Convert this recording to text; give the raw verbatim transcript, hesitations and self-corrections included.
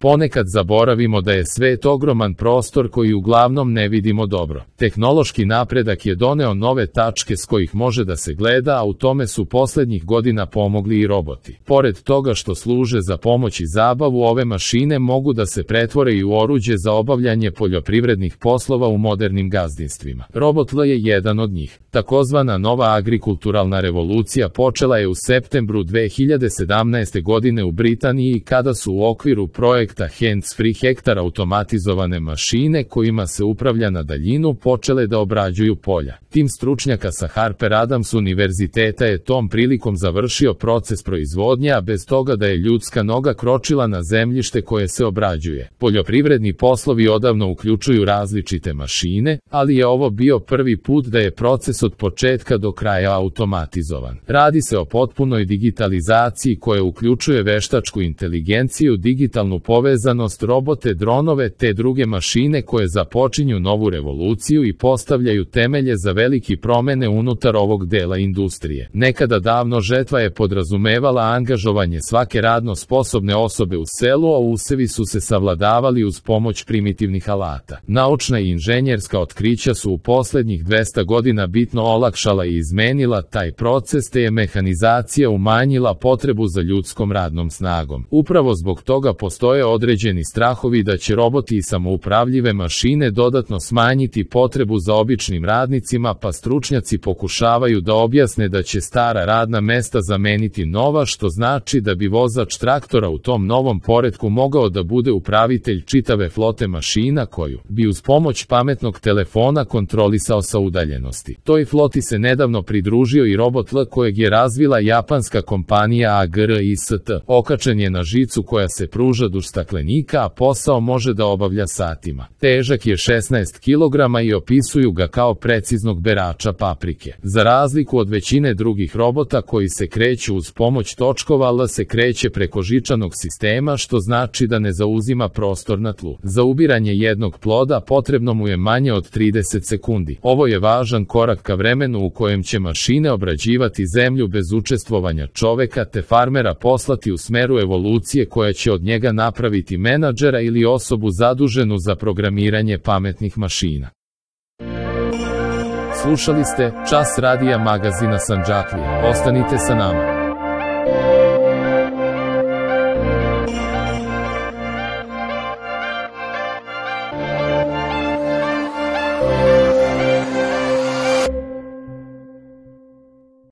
Ponekad zaboravimo da je svet ogroman prostor koji uglavnom ne vidimo dobro. Tehnološki napredak je doneo nove tačke s kojih može da se gleda, a u tome su poslednjih godina pomogli i roboti. Pored toga što služe za pomoć i zabavu, ove mašine mogu da se pretvore i u oruđe za obavljanje poljoprivrednih poslova u modernim gazdinstvima. Robot L je jedan od njih. Takozvana nova agrikulturalna revolucija počela je u septembru dve hiljade sedamnaeste. godine u Britaniji kada su u okviru projekta Hands-Free Hektar automatizovane mašine kojima se upravlja na daljinu počele da obrađuju polja. Tim stručnjaka sa Harper Adams univerziteta je tom prilikom završio proces proizvodnje, a bez toga da je ljudska noga kročila na zemljište koje se obrađuje. Poljoprivredni poslovi odavno uključuju različite mašine, ali je ovo bio prvi put da je proces od početka do kraja automatizovan. Radi se o potpunoj digitalizaciji koja uključuje veštačku inteligenciju, digitalnu povezanost, robote, dronove te druge mašine koje započinju novu revoluciju i postavljaju temelje za veliki promene unutar ovog dela industrije. Nekada davno žetva je podrazumevala angažovanje svake radno sposobne osobe u selu, a usevi su se savladavali uz pomoć primitivnih alata. Naučna i inženjerska otkrića su u poslednjih dvesta godina bitno olakšala i izmenila taj proces, te je mehanizacija umanjila potrebu za ljudskom radnom snagom. Upravo zbog toga postoje određeni strahovi da će roboti i samoupravljive mašine dodatno smanjiti potrebu za običnim radnicima, pa stručnjaci pokušavaju da objasne da će stara radna mesta zameniti nova, što znači da bi vozač traktora u tom novom poretku mogao da bude upravitelj čitave flote mašina koju bi uz pomoć pametnog telefona kontrolisao sa udaljenosti. Toj floti se nedavno pridružio i robot L kojeg je razvila japanska kompanija A G R I S T. Okačen je na žicu koja se pruža duž staklenika, a posao može da obavlja satima. Težak je šesnaest kilograma i opisuju ga kao preciznog berača paprike. Za razliku od većine drugih robota koji se kreću uz pomoć točkova, L se kreće preko žičanog sistema, što znači da ne zauzima prostor na tlu. Za ubiranje jednog ploda potrebno mu je manje od trideset sekundi. Ovo je važan korak ka vremenu u kojem će mašine obrađivati zemlju bez učestvovanja čoveka, te farmera poslati u smeru evolucije koja će od njega napraviti menadžera ili osobu zaduženu za programiranje pametnih mašina. Slušali ste Čas radija magazina Sandžaklija. Ostanite sa nama.